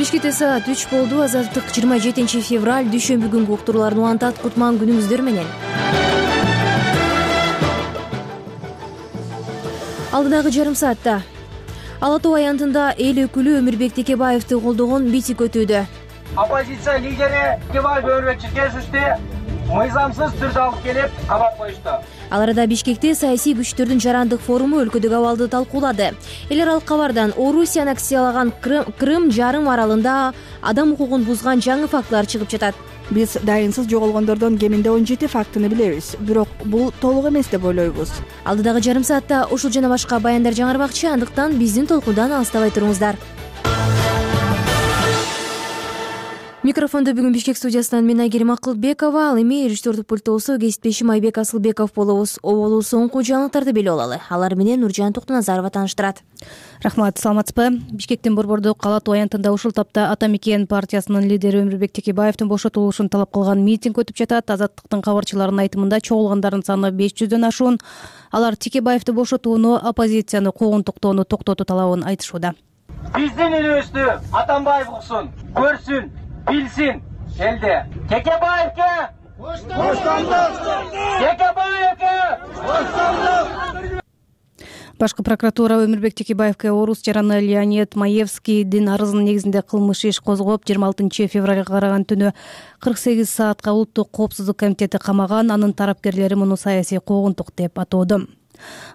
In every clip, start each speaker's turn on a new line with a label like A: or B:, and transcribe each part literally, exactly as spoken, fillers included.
A: Бишкекте саат үч болду. Азаттык жыйырма жетинчи февраль дүйшөмбү күнгү уктурууларын улантат. Кутман күнүңүздөр менен. Алдыдагы жарым саатта Ала Тоо аянтында эл өкүлү Өмүрбек Текебаевди колдогон митинг өтүүдө.
B: Оппозиция лидери Текебаев Өмүрбек Черкесовди мыйзамсыз түрдө алып келип кабап коюшту.
A: Ал арада Бишкекте саясий күчтөрдүн жарандык форуму өлкөдөгү абалды талкуулады. Эл аралык кабардан Орусия аннексиялаган Крым жарым аралында адам укугун бузган жаңы фактылар чыгып жатат.
C: Биз дайынсыз жоголгондордон кеминде он жети фактыны билебиз, бирок бул толук эмес деп ойлойбуз.
A: Алдыдагы жарым саатта ушул жана башка баяндар жаңырбакчы, андыктан биздин толкундан алыстабай туруңуздар. Микрофондо бүгүн Бишкек студиясынан мен Айгерим Акылбекова, ал эми режиссердук пульттосу кесиптешим Айбек Асылбеков болобуз. Оболу соңку жаңылыктарды билип алалы. Алар менен Нуржан Токтоназарова тааныштырат.
D: Рахмат, саламатсызбы? Бишкектин Борбордук Ала Тоо аянтында ушул тапта Ата Мекен партиясынын лидери Өмүрбек Текебаевдин бошотулушун талап кылган митинг өтүп жатат. Азаттыктын кабарчыларынын айтымында чогулгандардын саны беш жүздөн ашуун. Алар Текебаевди бошотууну, оппозицияны куугунтуктоону токтотуу талабын айтышууда.
B: Биздин үнүбүздү Атамбаев уксун, көрсүн, билсин элде. Текебаевге боштондук! Текебаевге боштондук!
D: Башкы прокуратура Өмүрбек Текебаевге орус жараны Леонид Маевскийдин арызынын негизинде кылмыш иш козгоп, жыйырма алтынчы февралга караган түнү кырк сегиз саатка Улуттук коопсуздук комитети камаган. Анын тарапкерлери муну саясий куугунтук деп атоодо.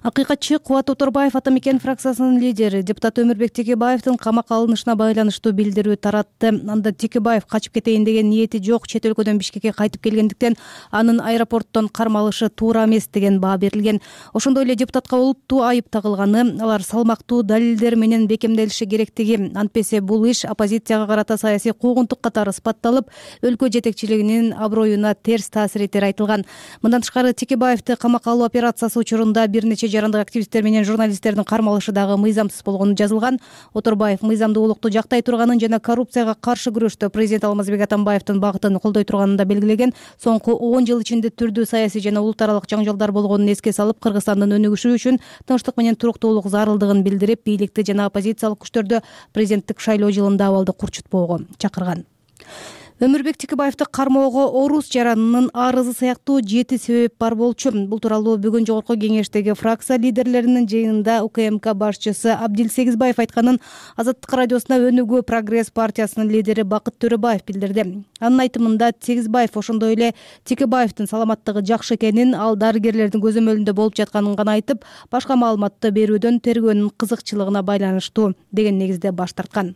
D: Акыйкатчы Кубат Оторбаев Ата Мекен фракциясынын лидери депутат Өмүрбек Текебаевдин камакка алынышына байланыштуу билдирүү таратты. Анда Текебаев качып кетейин деген ниети жок, чет өлкөдөн Бишкекке кайтып келгендиктен анын аэропорттон кармалышы туура эмес деген баа берилген. Ошондой эле депутатка олуттуу айып тагылганы, алар салмактуу далилдер менен бекемделиши керектиги, антпесе бул иш оппозицияга карата саясий куугунтук катары сыпатталып, өлкө жетекчилигинин аброюна терс таасир этери айтылган. Мындан тышкары Текебаевди камакка алуу операциясы учурунда бир нече жарандык активисттер менен журналисттердин кармалышы дагы мыйзамсыз болгону жазылган. Оторбаев мыйзамдуулукту жактай турганын жана коррупцияга каршы күрөштө президент Алмазбек Атамбаевдин багытын колдой турганын да белгилеген. Соңку он жыл ичинде түрдүү саясий жана улут аралык жаңжалдар болгонун эске салып, Кыргызстандын өнүгүшү үчүн тынчтык менен туруктуулук зарылдыгын билдирип, бийликти жана оппозициялык күчтөрдү президенттик шайлоо жылында абалды курчутпоого чакырган. Өмүрбек Текебаевди кармоого орус жаранынын арызы сыяктуу жети себеп бар болчу. Бул тууралуу бүгүн жогорку кеңештеги фракция лидерлеринин жыйынында УКМК башчысы Абдил Сегизбаев айтканын Азаттык радиосуна Өнүгүү Прогресс партиясынын лидери Бакыт Төрөбаев билдирди. Анын айтымында Сегизбаев ошондой эле Текебаевдин саламаттыгы жакшы экенин, ал дарыгерлердин көзөмөлүндө болуп жатканын гана айтып, башка маалыматты берүүдөн тергөөнүн кызыкчылыгына байланыштуу деген негизде баш тарткан.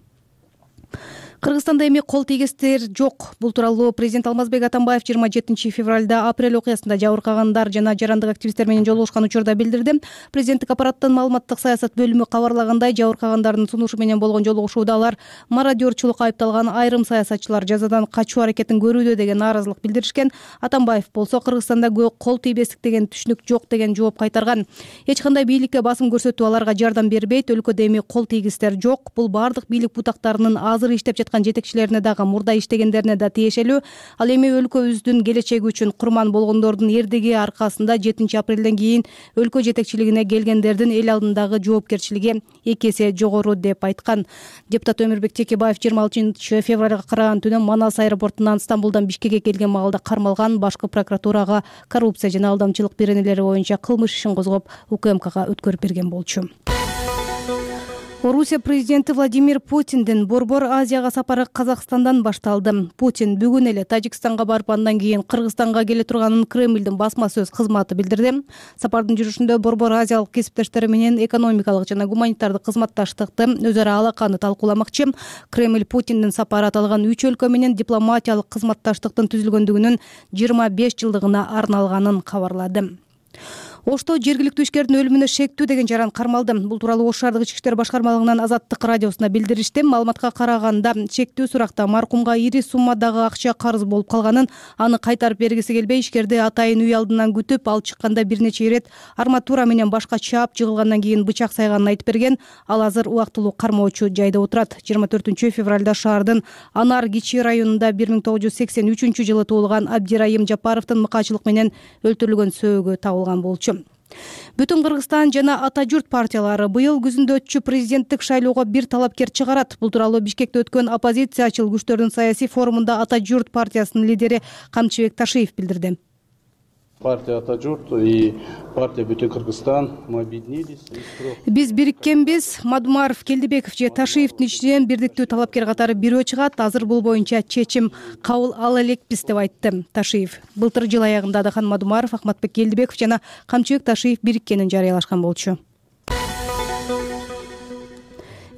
D: Кыргызстанда эми кол тийгестер жок. Бул тууралуу президент Алмазбек Атамбаев жыйырма жетинчи февралда апрель окуясында жабыркагандар жана жарандык активисттер менен жолугушкан учурда билдирди. Президенттик аппараттын маалыматтык саясат бөлүмү кабарлагандай, жабыркагандардын сунушу менен болгон жолугушууда алар мародерчулукка айыпталган айрым саясатчылар жазадан качуу аракетин көрүүдө деген нааразылык билдиришкен. Атамбаев болсо Кыргызстанда кол тийбестик деген түшүнүк жок деген жооп кайтарган. Эч кандай бийликке басым көрсөтүү аларга жардам бербейт. Өлкөдө эми кол тийгистер жок. Бул бардык бийлик бутактарынын азыр иштеп жетекчилерине дагы, мурда иштегендерине да тиешелүү. Ал эми өлкөбүздүн келечеги үчүн курман болгондордун эрдиги аркасында жетинчи апрелден кийин өлкө жетекчилигине келгендердин эл алдындагы жоопкерчилиги эки эсе жогору деп айткан. Депутат Өмүрбек Текебаев жыйырма алтынчы февралга караган түнү Манас аэропортунан Стамбулдан Бишкекке келген маалда кармалган. Башкы прокуратурага коррупция жана алдамчылык беренелери боюнча кылмыш ишин козгоп, УКМКга өткөрүп берген болчу. Орусия президенти Владимир Путиндин Борбор Азияга сапары Казакстандан башталды. Путин бүгүн эле Тажикстанга барып, андан кийин Кыргызстанга келе турганын Кремлдин басма сөз кызматы билдирди. Сапардын жүрүшүндө Борбор Азиялык кесиптештери менен экономикалык жана гуманитардык кызматташтыкты, өзара алаканы талкууламакчы. Кремль Путиндин сапары аталган үч өлкө менен дипломатиялык кызматташтыктын түзүлгөндүгүнүн жыйырма беш жылдыгына арналганын кабарлады. Ошто жергиликтүү ишкердин өлүмүнө шектүү деген жаран кармалды. Бул тууралуу Ош шаардык ички иштер башкармалыгынан Азаттык радиосуна билдиришти. Маалыматка караганда, шектүү суракта маркумга ири суммадагы акча карыз болуп калганын, аны кайтарып бергиси келбей, ишкерди атайын үй алдынан күтүп, ал чыкканда бир нече ирет арматура менен башка чаап жыгылгандан кийин бычак сайганын айтып берген. Ал азыр убактылуу кармоочу жайда отурат. жыйырма төртүнчү февралда шаардын Анар Кичи районунда бир миң тогуз жүз сексен үчүнчү жылы туулган Абдирайым Жапаровдун мыкаачылык менен өлтүрүлгөн сөөгү табылган болчу. Бүтүн Кыргызстан жана Ата журт партиялары быйыл күзүндө өтчү президенттик шайлоого бир талапкер чыгарат. Бул тууралуу Бишкекте өткөн оппозициячыл күчтөрдүн саясий форумунда Ата журт партиясынын лидери Камчыбек Ташиев билдирди.
E: Партия Ата журт и партия Бүтүн Кыргызстан мы объединились.
D: Биз бириккенбиз. Мадумаров, Келдибеков же Ташиевдин ичинен бирдиктүү талапкер катары бирөө чыгат. Азыр бул боюнча чечим кабыл ала элекпиз деп айтты Ташиев. Былтыр жыл аягында Адахан Мадумаров, Ахматбек Келдибеков жана Камчыбек Ташиев бириккенин жарыялашкан болчу.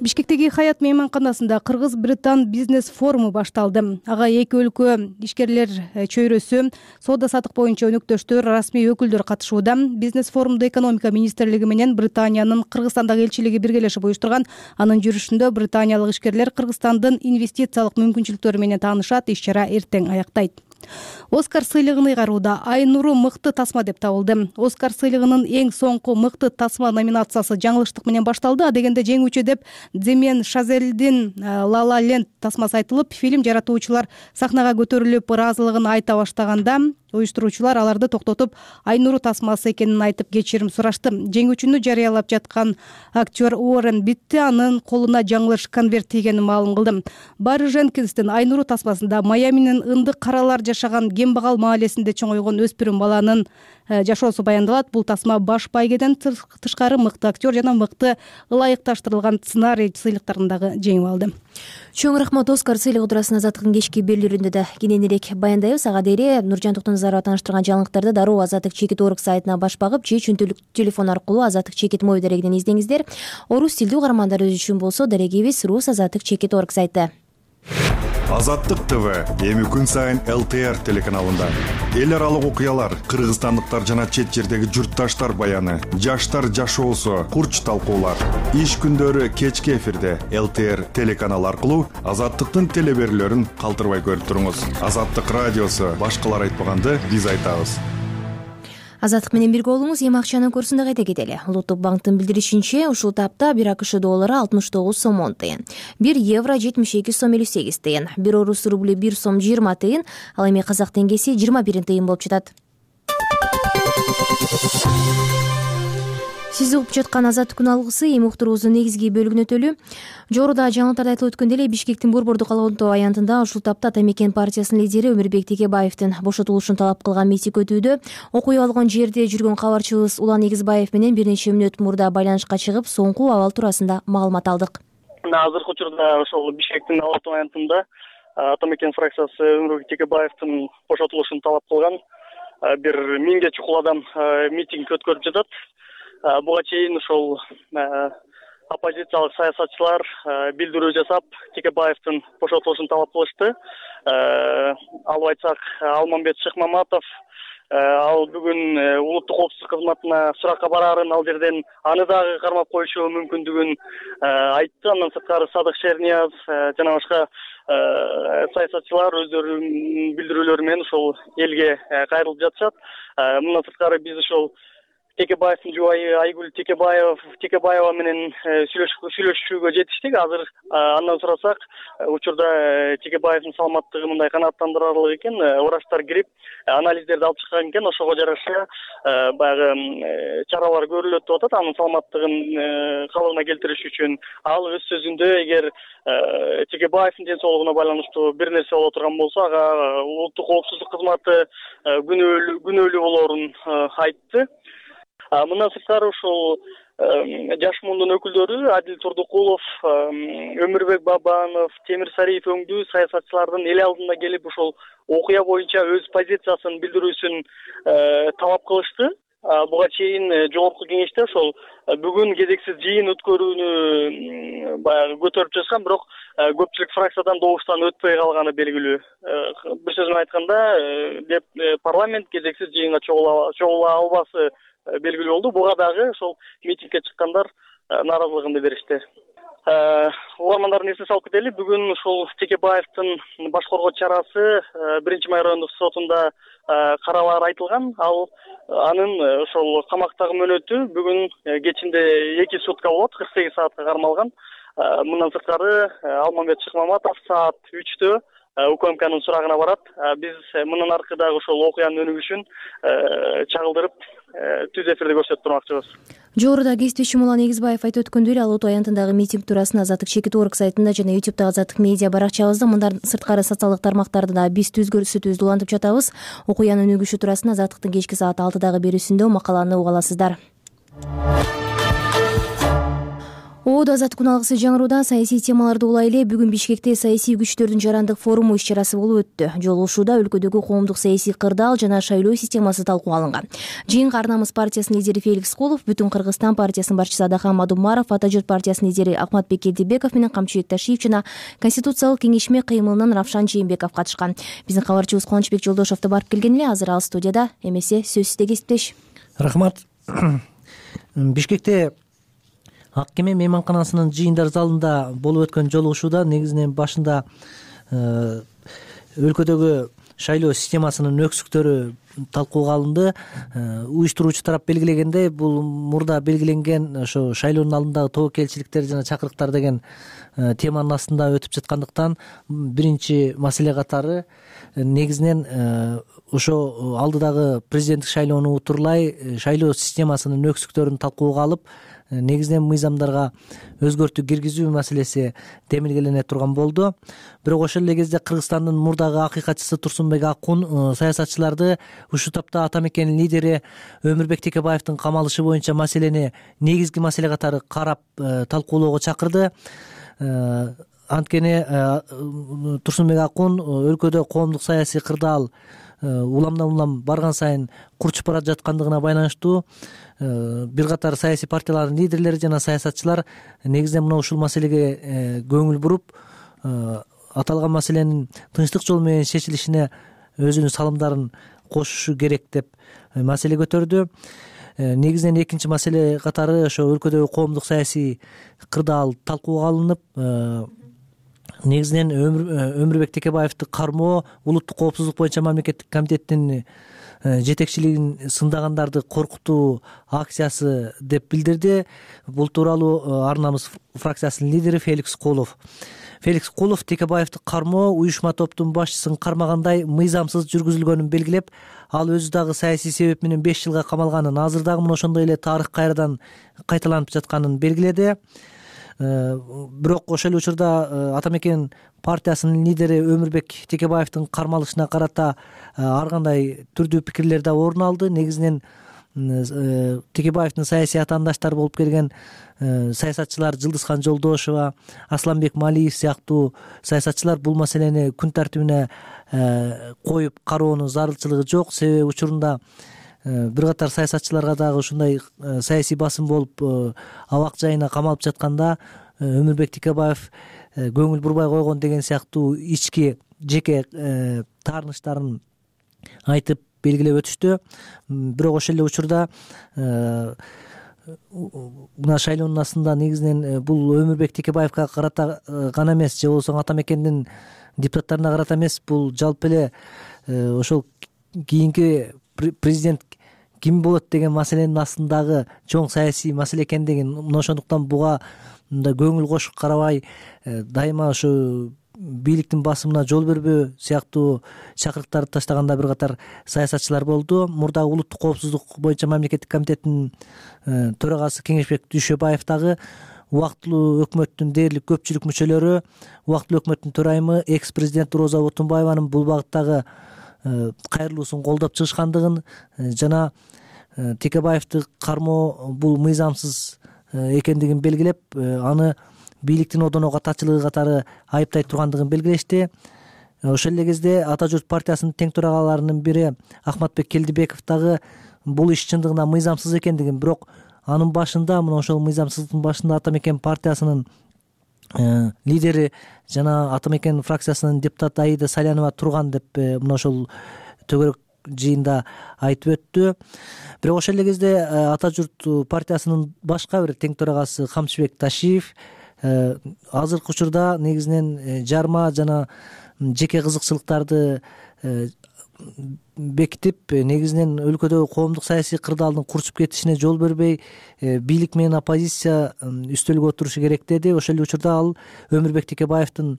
D: Бишкектеги Хаят мейманканасында Кыргыз-Британ бизнес форуму башталды. Ага эки өлкө ишкерлер чөйрөсү, соода саттык боюнча өнөктөштөр, расмий өкүлдөр катышууда. Бизнес форумду экономика министрлиги менен Британиянын Кыргызстандагы элчилиги биргелешип уюштурган. Анын жүрүшүндө британиялык ишкерлер Кыргызстандын инвестициялык мүмкүнчүлүктөрү менен таанышат. Иш-чара эртең аяктайт. Оскар сыйлыгын ыйгарууда Айнуру мыкты тасма деп табылды. Оскар сыйлыгынын эң соңку мыкты тасма номинациясы жаңылыштык менен башталды. Адегенде жеңүүчү деп Дземен Шазелдин La La Land тасмасы айтылып, фильм жаратуучулар сахнага көтөрүлүп ыраазылыгын айта баштаганда уюштуруучулар аларды токтотуп, Айнуру тасмасы экенин айтып кечирим сурашты. Жеңүүчүнү жарыялап жаткан актер Уоррен Битти анын колуна жаңылыш конверт тийгенин маалым кылды. Барри Женкинстин Айнуру тасмасында Майаминин ындык каралар жашаган Кембагал маалесинде чоңойгон өспүрүм баланын жашоосу баяндалат. Бул тасма баш байгеден тышкары мыкты актер жана мыкты ылайыкташтырылган сценарий сыйлыктарын дагы жеңип алды.
A: Чоң рахмат. Оскар сыйлыгы туурасында Азаттыктын кечки берүүлөрүндө да кененирээк баяндайбыз. Ага дейре Нуржан Токтоназарова тааныштырган жаңылыктарды дароо Азаттык чекит орг сайтына баш багып же чөнтөлүк телефон аркылуу Азаттык чекит мобил дарегинен издеңиздер. Орус тилдүү угармандарыбыз үчүн болсо дарегибиз Рус Азаттык чекит орг сайты.
F: Азаттык ТВ эми күн сайын эл тэ эр телеканалында эл аралык окуялар, кыргызстандыктар жана чет жердеги журтташтар баяны, жаштар жашоосу, курч талкуулар. Иш күндөрү кечки эфирде эл тэ эр телеканалы аркылуу Азаттыктын телеберүүлөрүн калтырбай көрүп туруңуз. Азаттык радиосу башкалар айтпаганды биз айтабыз.
A: Азаттык менен бирге болуңуз. Эми акчанын курсунда кайта кетели. Улуттук банктын билдиришинче, ушул тапта бир АКШ доллары алтымыш тогуз сом он тыйын, бир евро жетимиш эки сом элүү сегиз тыйын, бир орус рубли бир сом жыйырма тыйын, ал эми казак теңгеси жыйырма бир тыйын болуп жатат. Сиз угуп жаткан Азаттык күн алгысы эми уктуруубуздун негизги бөлүгүнө өтөлү. Жогоруда жаңылыктарда айтылып өткөндөй эле Бишкектин Борбордук Алонто аянтында ушул тапта Ата мекен партиясынын лидери Өмүрбек Текебаевдин бошотулушун талап кылган митинг өтүүдө. Окуя болгон жерде жүргөн кабарчыбыз Улан Эгизбаев менен бир нече мүнөт мурда байланышка чыгып, соңку абал туурасында маалымат алдык.
G: Азыркы учурда ошол Бишкектин Алонто аянтында Ата мекен фракциясы Өмүрбек Текебаевдин бошотулушун талап кылган бир миңге чукул адам митинг өткөрүп жатат. Буга чейин ошол оппозициялык саясатчылар билдирүү жасап, Текебаевдин бошотулушун талап кылышты. Алып айтсак, Алмамбет Шыкмаматов ал бүгүн улуттук коопсуздук кызматына суракка бараарын, ал жерден аны дагы кармап коюшу мүмкүндүгүн айтты. Андан сырткары Садык Шерниязов жана башка саясатчылар өздөрүнүн билдирүүлөрү менен ошол элге кайрылып жатышат. Мындан сырткары биз ошол Текебаевдин жубайы Айгүл Текебаев Текебаева менен сүйлөшүүгө жетиштик. Азыр андан сурасак, учурда Текебаевдин саламаттыгы мындай канааттандырарлык экен. Врачтар кирип анализдерди алып чыккан экен. Ошого жараша баягы чаралар көрүлөт деп атат. Анын саламаттыгын калыбына келтириш үчүн ал өз сөзүндө эгер Текебаевдин ден соолугуна байланыштуу бир нерсе боло турган болсо, ага улуттук коопсуздук кызматы күнөөлүү болоорун айтты. Мындан сырткары ушул жаш мундун өкүлдөрү Адил Турдукулов, Өмүрбек Бабанов, Темир Сариев өңдүү саясатчылардын эл алдына келип ушул окуя боюнча өз позициясын билдирүүсүн талап кылышты. Буга чейин жогорку кеңеште ошол бүгүн кезексиз жыйын өткөрүүнү баягы көтөрүп жатышкан, бирок көпчүлүк фракциядан добуштан өтпөй калганы белгилүү. Бир сөз менен айтканда, деп парламент кезексиз жыйынга чогула албасы белгилүү болду. Буга дагы ошол митингге чыккандар нааразылыгын билдиришти. Угармандардын эсине салып кетели, бүгүн ушул Текебаевдин баш коргоо чарасы биринчи май райондук сотунда каралары айтылган. Ал анын ошол камактагы мөөнөтү бүгүн кечинде эки сутка болот, кырк сегиз саатка кармалган. Мындан сырткары Алмамбет Шыкмаматов саат үчтө УКМКнын сурагына барат. Биз мындан аркы дагы ошол окуянын өнүгүшүн чагылдырып түз эфирде көрсөтүп турмакчыбыз.
A: Жогоруда кесиптешим Улан Эгизбаев айтып өткөндөй эле ал Ото аянтындагы митинг туурасында Азаттык чекит орг сайтында жана ютубтагы Азаттык медиа баракчабызда мындан сырткары социалдык тармактарда да биз түз көрсөтүүбүздү улантып жатабыз. Окуянын өнүгүшү туурасында Азаттыктын кечки саат алтыдагы берүүсүндө макаланы уга аласыздар. Оодо азаттык уналгысы жаңырууда саясий темаларды улай эле бүгүн Бишкекте саясий күчтөрдүн жарандык форуму иш-чарасы болуп өттү. Жолугушууда өлкөдөгү коомдук саясий кырдаал жана шайлоо системасы талкууга алынган. Жыйынга Ар намыс партиясынын лидери Феликс Колов, Бүтүн Кыргызстан партиясынын башчысы Адахан Мадумаров, Ата журт партиясынын лидери Акматбек Келдибеков менен Камчыбек Ташиев жана Конституциялык кеңешме кыймылынын Равшан Жээнбеков катышкан. Биздин кабарчыбыз Кубанычбек Жолдошов да барып келген эле. Азыр ал студияда. Эмесе сөз сизде кесиптеш.
H: Рахмат. Бишкекте Ак кеме мейманканасынын жыйындар залында болуп өткөн жолугушууда негизинен башында өлкөдөгү шайлоо системасынын өксүктөрү талкууга алынды. Уюштуруучу тарап белгилегендей, бул мурда белгиленген ошо шайлоонун алдындагы тобокелчиликтер жана чакырыктар деген теманын астында өтүп жаткандыктан биринчи маселе катары негизинен ошо алдыдагы президенттик шайлоону утурлай шайлоо системасынын өксүктөрүн талкууга алып, негизинен мыйзамдарга өзгөртүү киргизүү маселеси демилгелене турган болду. Бирок ошол эле кезде Кыргызстандын мурдагы акыйкатчысы Турсунбек Акун саясатчыларды ушул тапта ата мекенин лидери Өмүрбек Текебаевдин камалышы боюнча маселени негизги маселе катары карап талкуулоого чакырды. Анткени Турсунбек Акун өлкөдө коомдук саясий кырдаал уламдан улам барган сайын курчуп бара жаткандыгына байланыштуу бир катар саясий партиялардын лидерлери жана саясатчылар негизинен мына ушул маселеге көңүл буруп, аталган маселенин тынчтык жол менен чечилишине өзүнүн салымдарын кошушу керек деп маселе көтөрдү. Негизинен экинчи маселе катары ошо өлкөдөгү коомдук саясий кырдаал талкууга алынып, негизинен Өмүрбек Текебаевди кармоо, улуттук коопсуздук боюнча мамлекеттик комитеттин жетекчилигин сындагандарды коркутуу акциясы деп билдирди. Бул тууралуу Ар намыс фракциясынын лидери Феликс Колов. Феликс Колов Текебаевди кармоо уюшма топтун башчысын кармагандай мыйзамсыз жүргүзүлгөнүн белгилеп, ал өзү дагы саясий себеп менен беш жылга камалганын, азыр дагы мына ошондой эле тарых кайрадан кайталанып жатканын белгиледи. Бирок ошол эле учурда ата мекен партиясынын лидери Өмүрбек Текебаевдин кармалышына карата ар кандай түрдүү пикирлер да орун алды. Негизинен Текебаевдин саясий атаандаштары болуп келген саясатчылар Жылдызхан Жолдошова, Асланбек Малиев сыяктуу саясатчылар бул маселени күн тартибине коюп кароонун зарылчылыгы жок. Себеби учурунда бир катар саясатчыларга дагы ушундай саясий басым болуп абак жайына камалып жатканда Өмүрбек Текебаев көңүл бурбай койгон деген сыяктуу ички жеке таарынычтарын айтып белгилеп өтүштү. Бирок ошол эле учурда мына шайлоонун астында негизинен бул Өмүрбек Текебаевга карата гана эмес, же болбосо ата мекендин депутаттарына карата эмес, бул жалпы эле ошол кийинки президент ким болот деген маселенин астындагы чоң саясий маселе экендигин, мына ошондуктан буга мындай көңүл кошуп карабай, дайыма ошо бийликтин басымына жол бербөө сыяктуу чакырыктарды таштаганда бир катар саясатчылар болду. Мурдагы улуттук коопсуздук боюнча мамлекеттик комитеттин төрагасы Кеңешбек Дүйшөбаев дагы убактылуу өкмөттүн дээрлик көпчүлүк мүчөлөрү, убактылуу өкмөттүн төрайымы экс президент Роза Отунбаеванын бул багыттагы кайрылуусун колдоп чыгышкандыгын жана Текебаевди кармоо бул мыйзамсыз экендигин белгилеп, аны бийликтин одоно катачылыгы катары айыптай тургандыгын белгилешти. Ошол эле кезде Ата журт партиясынын тең төрагаларынын бири Акматбек Келдибеков дагы бул иш чындыгында мыйзамсыз экендигин, бирок анын башында, мына ошол мыйзамсыздыктын башында ата мекен партиясынын лидери жана ата мекен фракциясынын депутаты Аида Салянова турган деп мына ошол төгөрөк жыйында айтып өттү. Бирок ошол эле кезде Ата журт партиясынын башка бир тең төрагасы Камчыбек Ташиев азыркы учурда негизинен жарма жана жеке кызыкчылыктарды бекитип, негизинен өлкөдөгү коомдук саясий кырдаалдын курчуп кетишине жол бербей, бийлик менен оппозиция үстөлгө отурушу керек деди. Ошол эле учурда ал Өмүрбек Текебаевдин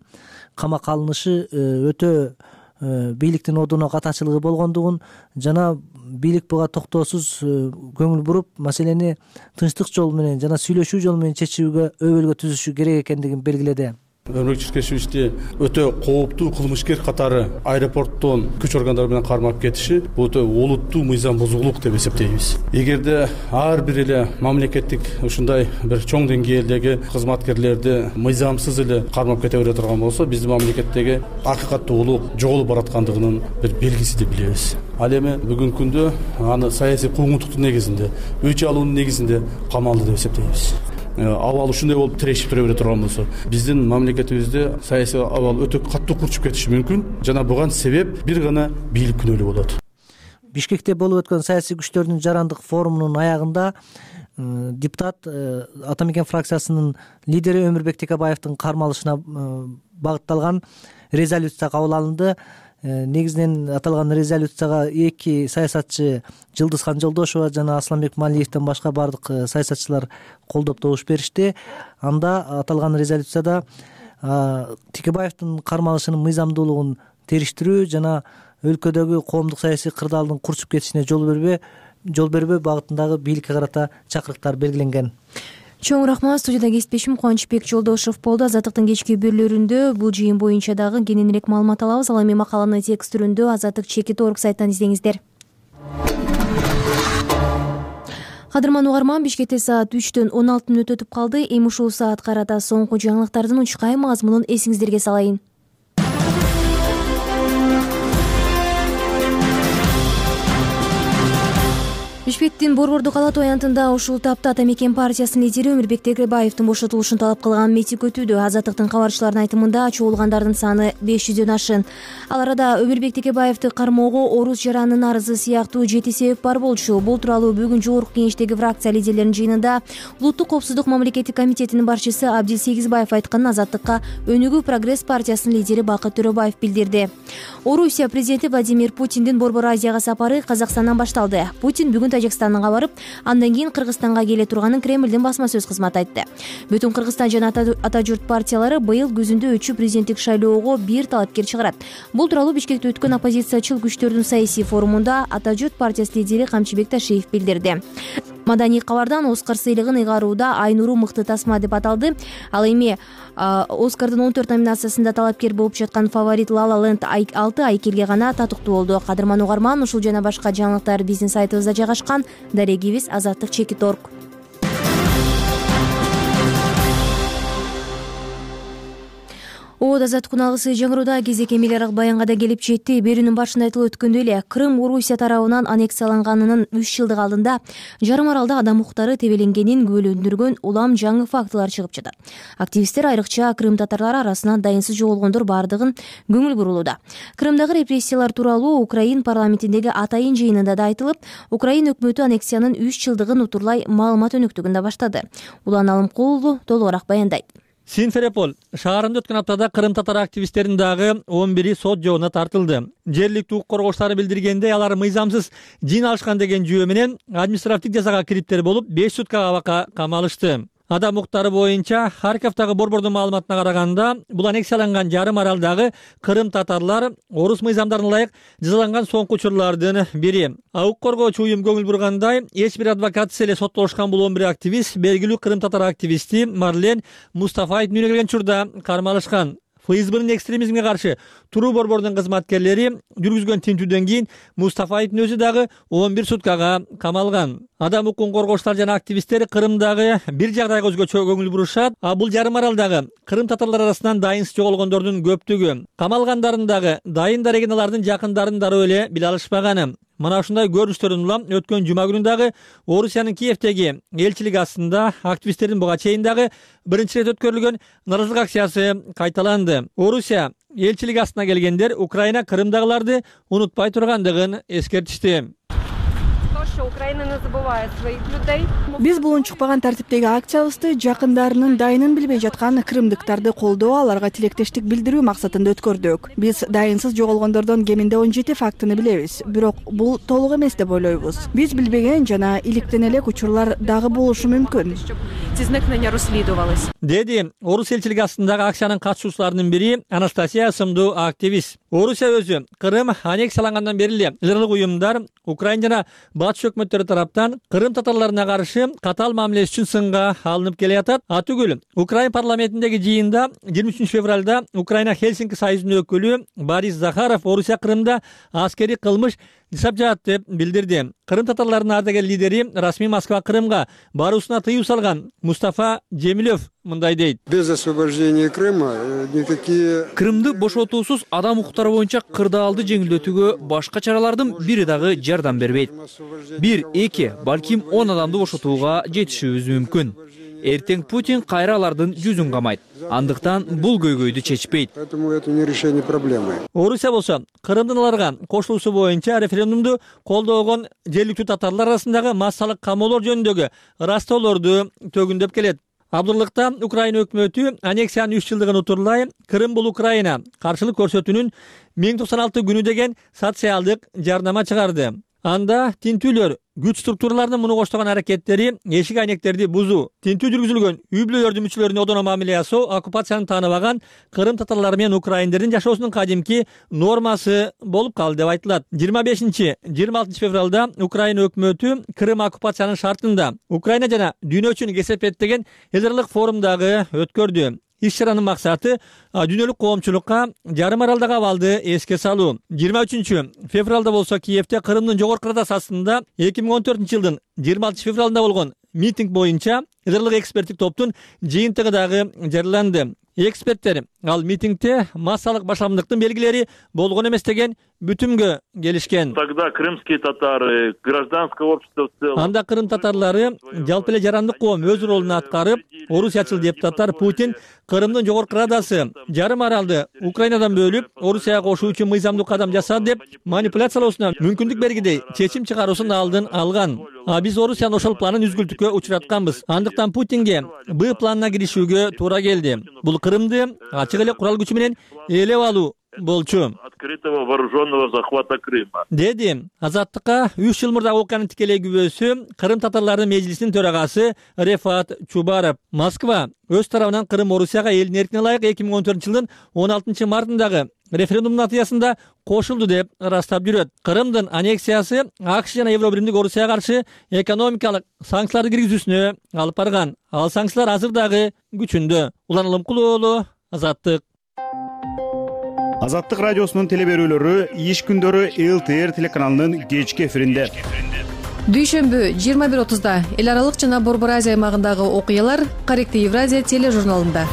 H: камакка алынышы өтө бийликтин одуна катачылыгы болгондугун жана бийлик буга токтоосуз көңүл буруп маселени тынчтык жол менен жана сүйлөшүү жолу менен чечүүгө өбөлгө түзүшү керек экендигин белгиледи.
E: Өмүрбек Черкешевичти өтө кооптуу кылмышкер катары аэропорттон күч органдары менен кармап кетиши бул өтө олуттуу мыйзам бузуулук деп эсептейбиз. Эгерде ар бир эле мамлекеттик ушундай бир чоң деңгээлдеги кызматкерлерди мыйзамсыз эле кармап кете бере турган болсо, биздин мамлекеттеги акыйкаттуу улук жоголуп бараткандыгынын бир белгиси деп билебиз. Ал эми бүгүнкү күндө аны саясий куугунтуктун негизинде, өч алуунун негизинде камалды деп эсептейбиз. Абал ушундай болуп тирешип тура бере турган болсо, биздин мамлекетибизде саясий абал өтө каттуу курчуп кетиши мүмкүн. Жана буга себеп бир гана бийлик күнөөлүү болот.
H: Бишкекте болуп өткөн саясий күчтөрдүн жарандык форумунун аягында депутат Атамекен фракциясынын лидери Өмүрбек Текебаевдин кармалышына багытталган резолюция кабыл алынды. Негизинен аталган резолюцияга эки саясатчы Жылдызхан Жолдошева жана Асланбек Малиевден башка бардык саясатчылар колдоп добуш беришти. Анда аталган резолюцияда Текебаевдин кармалышынын мыйзамдуулугун териштирүү жана өлкөдөгү коомдук саясий кырдаалдын курчуп кетишине жол бербөө жол бербөө багытындагы бийликке карата чакырыктар белгиленген.
A: Чоң рахмат. Студияда кесиптешим Кубанычбек Жолдошев болду. Азаттыктын кечки берүүлөрүндө бул жыйын боюнча дагы кененирээк маалымат алабыз. Ал эми макаланы текст түрүндө Азаттык чекит орг сайттан издеңиздер. Кадырман угарман, Бишкекте саат үчтөн он алты мүнөт өтүп калды. Эми ушул саат карата соңку жаңылыктардын учкай мазмунун эсиңиздерге салайын. Бишкектин Борбордук ала тоянтында ушул тапта Атамекен партиясынын лидери Өмүрбек Текебаевдин бошотулушун талап кылган митинг өтүүдө. Азаттыктын кабарчыларынын айтымында чогулгандардын саны беш жүздөн ашын. Ал арада Өмүрбек Текебаевди кармоого орус жаранынын арызы сыяктуу жети себеп бар болчу. Бул тууралуу бүгүн жогорку кеңештеги фракция лидерлеринин жыйынында Улуттук коопсуздук мамлекеттик комитетинин башчысы Абдил Сегизбаев айтканын Азаттыкка Өнүгүү прогресс партиясынын лидери Бакыт Төрөбаев билдирди. Орусия президенти Владимир Путиндин Борбор Азияга сапары Казакстандан башталды. Путин бүгүн Тажикстанга барып, андан кийин Кыргызстанга келе турганын Кремлдин басма сөз кызматы айтты. Бүтүн Кыргызстан жана ата журт партиялары быйыл күзүндө өтчү президенттик шайлоого бир талапкер чыгарат. Бул тууралуу Бишкекте өткөн оппозициячыл күчтөрдүн саясий форумунда ата журт партиясы лидери Камчыбек Ташиев билдирди. Маданий кабардан Оскар сыйлыгын ыйгарууда Айнуру мыкты тасма деп аталды. Ал эми Оскардын он төрт номинациясында талапкер болуп жаткан фаворит La La Land алты айкелге гана татыктуу болду. Кадырман угарман, ушул жана башка жаңылыктар биздин сайтыбызда жайгашкан. Дарегибиз Азаттык чекит орг. Оод азаттык куналгысы жаңырууда кезек эмел арак баянга да келип жетти. Берүүнүн башында айтылып өткөндөй эле Крым Орусия тарабынан аннексияланганынын үч жылдык алдында жарым аралда адам укуктары тебеленгенин күбөлөндүргөн улам жаңы фактылар чыгып жатат. Активисттер айрыкча Крым татарлары арасынан дайынсыз жоголгондор бардыгын көңүл бурулууда. Крымдагы репрессиялар тууралуу Украин парламентиндеги атайын жыйынында да айтылып, Украин өкмөтү аннексиянын үч жылдыгын утурлай маалымат өнөктүгүн да баштады. Улан Алымкулов толугураак баяндайт.
I: Симферополь шаарында өткөн аптада Крым татар активисттеринин дагы он бири сот жообуна тартылды. Жергиликтүү укук коргоочулары билдиргендей, алар мыйзамсыз жин алышкан деген жүйө менен административдик жазага кириптер болуп, беш суткага абакка камалышты. Адам укуктары боюнча Харьковдагы борбордун маалыматына караганда, бул аннексияланган жарым аралдагы Крым татарлар орус мыйзамдарына ылайык жазаланган соңку учурлардын бири. Укук коргоочу уюм көңүл бургандай, эч бир адвокатсыз эле соттолушкан бул он бир активист белгилүү Крым татар активисти Марлен Мустафаевдин үйүнө келген учурда кармалышкан. ФСБнын экстремизмге каршы туруу борбордун кызматкерлери жүргүзгөн тинтүүдөн кийин Мустафаевдин өзү дагы он бир суткага камалган. Адам укугун коргоочулар жана активисттер Крымдагы бир жагдайга өзгөчө көңүл бурушат, а бул жарым аралдагы Крым татарлары арасынан дайынсыз жоголгондордун көптүгү. Камалгандардын дагы дайындар экен алардын жакындарын дароо эле биле алышпаганы. Мына ушундай көрүнүштөрдөн улам өткөн жума күнү дагы Орусиянын Киевдеги элчилиги астында активисттердин буга чейин дагы биринчи ирет өткөрүлгөн нааразылык акциясы кайталанды. Орусия элчилиги астына келгендер Украина Крымдагыларды унутпай тургандыгын эскертишти.
C: Биз бул унчукпаган тартиптеги акциябызды жакындарынын дайынын билбей жаткан крымдыктарды колдоо, аларга тилектештик билдирүү максатында өткөрдүк. Биз дайынсыз жоголгондордон кеминде он жети фактыны билебиз, бирок бул толук эмес деп ойлойбуз. Биз билбеген жана иликтен элек учурлар дагы болушу мүмкүн.
J: зникнення розслідувались.
I: Деди Орус элчилиги астындагы акциянын катышуучуларынын бири Анастасия сымдуу активист. Орусия өзү Кырым аннексиялангандан бери эле ылдырлык уюмдар Украина жана батыш өкмөттөрү тараптан Кырым татарларына каршы катаал мамиле үчүн сынга алынып келе жатат. Атүгүл Украина парламентиндеги жыйында жыйырма үчүнчү февралда Украина Хельсинки союзунун өкүлү Борис Захаров Орусия Кырымда аскерий кылмыш жасап жатат деп билдирди. Кырым татарларынын ардагер лидери расмий Москва Кырымга баруусуна тыюу салган Мустафа Жемилев мындай дейт.
K: Без освобождения Крыма никакие
L: Крымды бошотуусуз адам укуктары боюнча кырдаалды жеңилдетүүгө башка чаралардын бири дагы жардам бербейт. Бир, эки, балким он адамды бошотууга жетишибиз мүмкүн. Эртең Путин кайра алардын жүзүн камайт. Андыктан бул көйгөйдү чечпейт.
K: Поэтому это не решение проблемы.
I: Орусия болсо Кырымдын аларга кошулуусу боюнча референдумду колдогон жергиликтүү татарлар арасындагы массалык камоолор жөнүндөгү ырастоолорду төгүндөп келет. Абдырлыкта Украина өкмөтү аннексиянын үч жылдыгын утурлай Кырым бул Украина каршылык көрсөтүүнүн миң токсон алты күнү деген социалдык жарнама чыгарды. Анда тинтүүлөр күч структураларынын муну коштогон аракеттери эшик айнектерди бузуу, тинтүү жүргүзүлгөн үй бүлөлөрдүн мүчөлөрүнө одоно мамиле жасоо оккупацияны тааныбаган Кырым татарлары менен украиндердин жашоосунун кадимки нормасы болуп калды деп айтылат. жыйырма бешинчи жыйырма алтынчы февралда Украина өкмөтү Кырым оккупациянын шартында Украина жана дүйнө үчүн кесепет деген элдарлык форумдагы өткөрдү. Иш-чаранын максаты дүйнөлүк коомчулукка жарым аралдагы абалды эске салуу. жыйырма үчүнчү февралда болсо Киевде Кырымдын жогорку радасы астында эки миң он төртүнчү жылдын жыйырма алтынчы февралында болгон митинг боюнча ылдырлык эксперттик топтун жыйынтыгы дагы жарыяланды. Эксперттер ал митингде массалык башарамдыктын белгилери болгон эмес деген бүтүмгө келишкен.
M: Тогда крымские татары, гражданское общество в целом.
I: Анда Кырым татарлары жалпы эле жарандык коом өз ролун аткарып, орусиячыл депутаттар Путин Кырымдын жогорку радасы жарым аралды Украинадан бөлүп, Орусияга кошуу үчүн мыйзамдуу кадам жасады деп манипуляциялоосуна мүмкүндүк бергидей чечим чыгаруусунун алдын алган. А биз Орусиянын ошол планын үзгүлтүккө учуратканбыз. Андыктан Путинге Б планына киришүүгө туура келди. Бул Кырымды ачык эле курал күчү менен ээлеп алуу болчу.
M: Открытого вооруженного захвата Крыма.
I: Деди Азаттыкка үч жыл мурда окуянын тикелей күбөсү Кырым татарларынын межлисинин төрагасы Рефат Чубаров. Москва өз тарабынан Кырым Орусияга элдин эркине ылайык эки миң он төртүнчү жылдын он алтынчы мартындагы референдум натыйжасында кошулду деп ырастап жүрөт. Кырымдын аннексиясы АКШ жана Евробиримдик Орусияга каршы экономикалык санкцияларды киргизүүсүнө алып барган. Ал санкциялар азыр дагы күчүндө. Улан Улумкулуу, Азаттык.
N: Азаттык радиосунун телеберүүлөрү иш күндөрү эл тэ эр телеканалынын кечки эфиринде.
J: Дүйшөмбү жыйырма бир отузда эл аралык жана Борбор Азия аймагындагы окуялар Корректив Евразия тележурналында.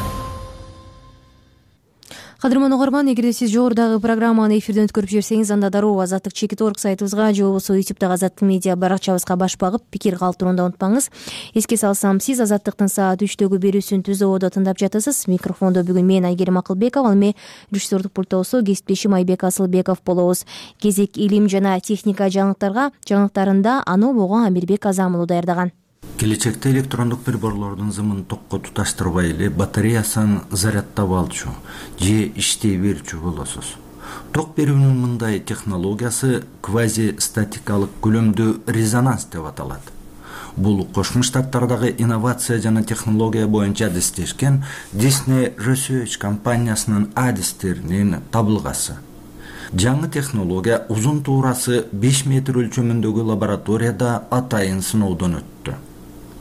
A: Кадырман угарман, эгерде сиз жогорудагы программаны эфирден өткөрүп жиберсеңиз, анда дароо Азаттык чекит орг сайтыбызга же болбосо ютубдагы Азаттык медиа баракчабызга баш багып, пикир калтырууну унутпаңыз. Эске салсам, сиз Азаттыктын саат үчтөгү берүүсүн Түз Ободо тыңдап жатасыз. Микрофондо бүгүн мен Айгерим Акылбекова, ал эми режиссердик пультта болсо кесиптешим Айбек Асылбеков болобуз. Кезек илим жана техника жаңылыктарга жаңылыктарында Анобого Амирбек Азамулу даярдаган.
O: Келечекте электрондук приборлордун зымын токко туташтырбай эле батареясын зарядтап алчу же иштей берчү болосуз. Ток берүүнүн мындай технологиясы квазистатикалык көлөмдүү резонанс деп аталат. Бул Кошмо Штаттардагы инновация жана технология боюнча адистешкен Disney Research компаниясынын адистеринин табылгасы. Жаңы технология узун туурасы беш метр өлчөмүндөгү лабораторияда атайын сыноодон өттү.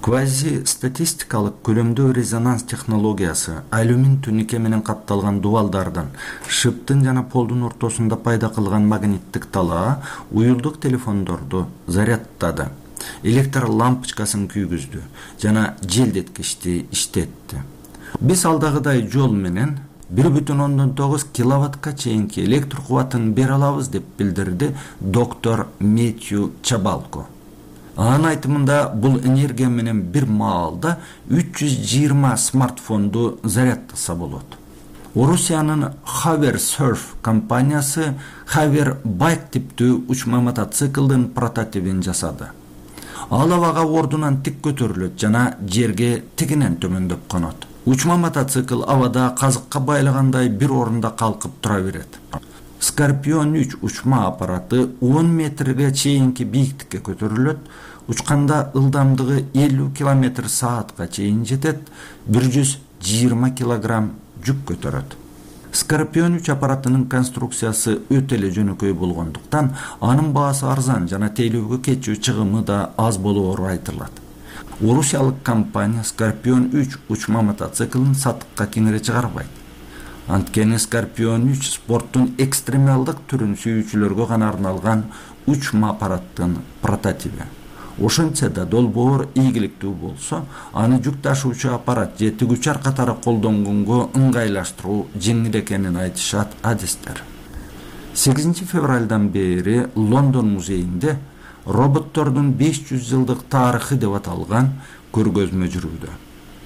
O: Квази-статистикалык көлөмдүү резонанс технологиясы алюмин түнүкө менен капталган дубалдардан шыптын жана полдун ортосунда пайда кылган магниттик талаа уюлдук телефондорду зарядтады, электр лампочкасын күйгүздү жана желдеткичти иштетти. Биз алдагыдай жол менен бир бүтүн ондон тогуз киловаттка чейинки электр кубатын бере алабыз деп билдирди доктор Метью Чабалко. Анын айтымында бул энергия менен бир маалда үч жүз жыйырма смартфонду зарядтаса болот. Орусиянын Haver Surf компаниясы Haver Bike типтүү учма мотоциклдын прототипин жасады. Ал абага ордунан тик көтөрүлөт жана жерге тигинен төмөндөп конот. Учма мотоцикл абада казыкка байлагандай бир орунда калкып тура берет. Скорпион үч учма аппараты он метрге чейинки бийиктикке көтөрүлөт. учканда ылдамдыгы элүү километр саатка чейин жетет, бир жүз жыйырма килограмм жүк көтөрөт. Скорпион үч аппаратынын конструкциясы өтө эле жөнөкөй болгондуктан анын баасы арзан жана тейлөөгө кетчү чыгымы да аз болоору айтылат. Орусиялык компания Скорпион үч учма мотоциклин сатыкка кеңире чыгарбайт. Анткени Скорпион үч спорттун экстремалдык түрүн сүйүүчүлөргө гана арналган учма аппараттын прототиби. Ошентсе да долбоор ийгиликтүү болсо, аны жүк ташуучу аппарат же тигүүчүар катары колдонгонго ыңгайлаштыруу жеңил экенин айтышат адистер. сегизинчи февралдан бери Лондон музейинде роботтордун беш жүз жылдык тарыхы деп аталган көргөзмө жүрүүдө.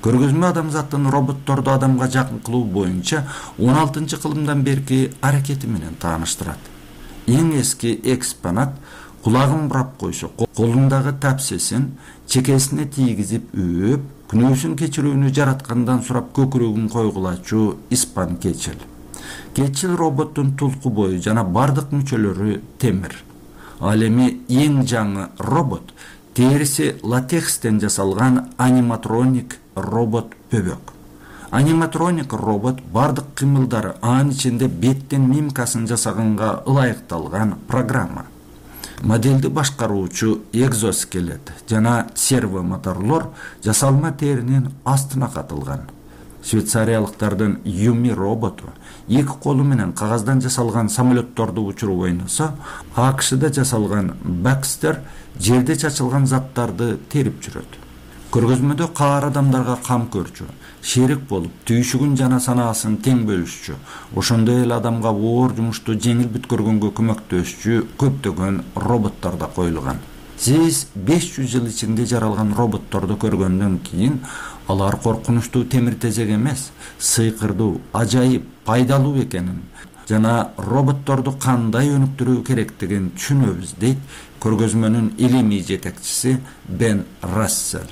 O: Көргөзмө адамзаттын роботторду адамга жакын кылуу боюнча он алтынчы кылымдан берки аракети менен тааныштырат. Эң эски экспонат кулагын бурап койсо, колундагы тапсесин чекесине тийгизип өөп, күнөөсүн кечирүүнү жараткандан сурап көкүрөгүн койгулачу испан keçил. Keçил роботтун тулку бою жана бардык мүчөлөрү темир. Ал эми эң жаңы робот териси латекстен жасалган аниматроник робот бөбөк. Аниматроник робот бардык кыймылдары, анын ичинде беттин мимкасын жасаганга ылайыкталган программа. Моделди башкаруучу экзоскелет жана серво моторлор жасалма теринин астына катылган. Швейцариялыктардын Юми роботу эки колу менен кагаздан жасалган самолетторду учуруп ойносо, АКШда жасалган Бакстер жерде чачылган заттарды терип жүрөт. Көргөзмөдө каар адамдарга кам көрчү, шерик болуп, түйшүгүн жана санаасын тең бөлүшчү, ошондой эле адамга оор жумушту жеңил бүткөргөнгө көмөктөшчү көптөгөн роботтор да коюлган. Сиз беш жүз жыл ичинде жаралган роботторду көргөндөн кийин алар коркунучтуу темир тезек эмес, сыйкырдуу, ажайып, пайдалуу экенин жана роботторду кандай өнүктүрүү керектигин түшүнөбүз, дейт көргөзмөнүн илимий жетекчиси Бен Рассел.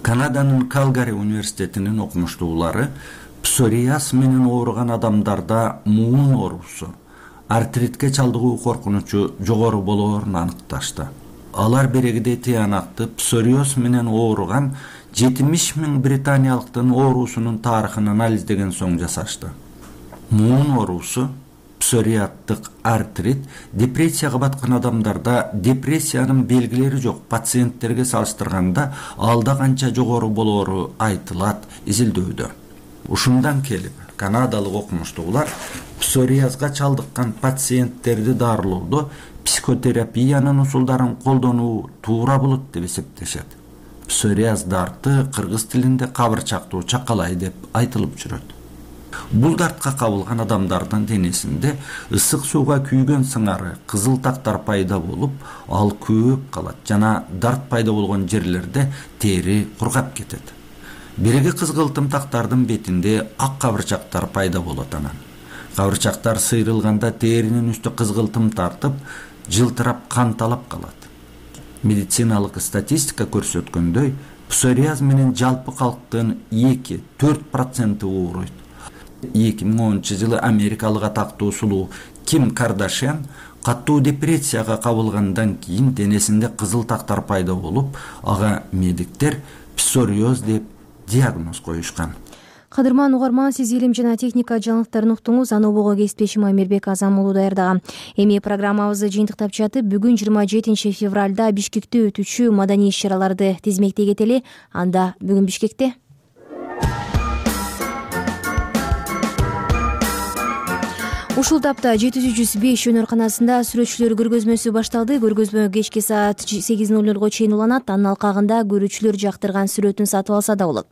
O: Канаданын Калгари университетинин окумуштуулары псориаз менен ооруган адамдарда муун оорусу, артритке чалдыгуу коркунучу жогору болоорун аныкташты. Алар берегиде тыянакты псориоз менен ооруган жетимиш миң британиялыктын оорусунун тарыхын анализдеген соң жасашты. Муун оорусу, псориаттык артрит депрессияга баткан адамдарда депрессиянын белгилери жок пациенттерге салыштырганда алда канча жогору болоору айтылат изилдөөдө. Ушундан келип, канадалык окумуштуулар псориазга чалдыккан пациенттерди дарылоодо психотерапиянын усулдарын колдонуу туура болот деп эсептешет. Псориаз дарты кыргыз тилинде кабырчактуу чакалай деп айтылып жүрөт. Бул дартка кабылган адамдардын денесинде ысык сууга күйгөн сыңары, кызыл тактар пайда болуп, ал көөп калат жана дарт пайда болгон жерлерде тери кургап кетет. Биреги кызгылтым тактардын бетинде ак кабырчактар пайда болот анан. Кабырчактар сыйрылганда теринин үстү кызгылтым тартып, жылтырап канталап калат. Медициналык статистика көрсөткөндөй, псориаз менен жалпы калктын эки-төрт проценти ооруйт. эки миң онунчу жылы америкалык атактуу сулуу Ким Кардашьян каттуу депрессияга кабылгандан кийин денесинде кызыл тактар пайда болуп, ага медиктер псориоз деп диагноз коюшкан.
A: Кадырман угарман, сиз илим жана техника жаңылыктарын уктуңуз. Аны обого кесиптешим Амирбек Азам уулу даярдаган. Эми программабызды жыйынтыктап жатып, бүгүн жыйырма жетинчи февралда Бишкекте өтүүчү маданий иш-чараларды тизмектей кетели. Анда бүгүн Бишкекте ушул тапта жети жүз беш өнөрканасында сүрөтчүлөр көргөзмөсү башталды. Көргөзмө кечки саат сегиз ноль нолго чейин уланат. Анын алкагында көрүүчүлөр жактырган сүрөтүн сатып алса да болот.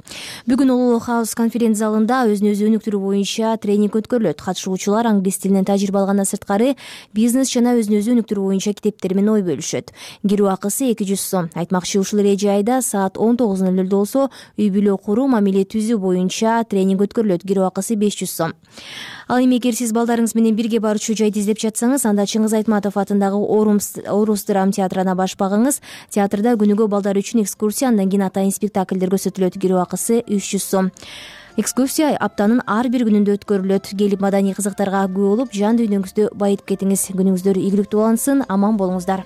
A: Бүгүн Улуу Хаус конференц залында өзүн өзү өнүктүрүү боюнча тренинг өткөрүлөт. Катышуучулар англис тилинен тажрыйба алгандан сырткары бизнес жана өзүн өзү өнүктүрүү боюнча китептер менен ой бөлүшөт. Кирүү акысы эки жүз сом. Айтмакчы, ушул эреже айда саат он тогуз ноль нолдо болсо үй бүлө куруу, мамиле түзүү боюнча тренинг өткөрүлөт. Кирүү акысы беш жүз сом. Ал эми эгер сиз балдарыңыз менен бирге барчу жайды издеп жатсаңыз, анда Чыңгыз Айтматов атындагы Орус драм театрына баш багыңыз. Театрда күнүгө балдар үчүн экскурсия, андан кийин атайын спектакльдер көрсөтүлөт. Кирүү акысы үч жүз сом. Экскурсия аптанын ар бир күнүндө өткөрүлөт. Келип маданий кызыктарга күбө болуп, жан дүйнөңүздү байытып кетиңиз. Күнүңүздөр ийгиликтүү болсун, аман болуңуздар.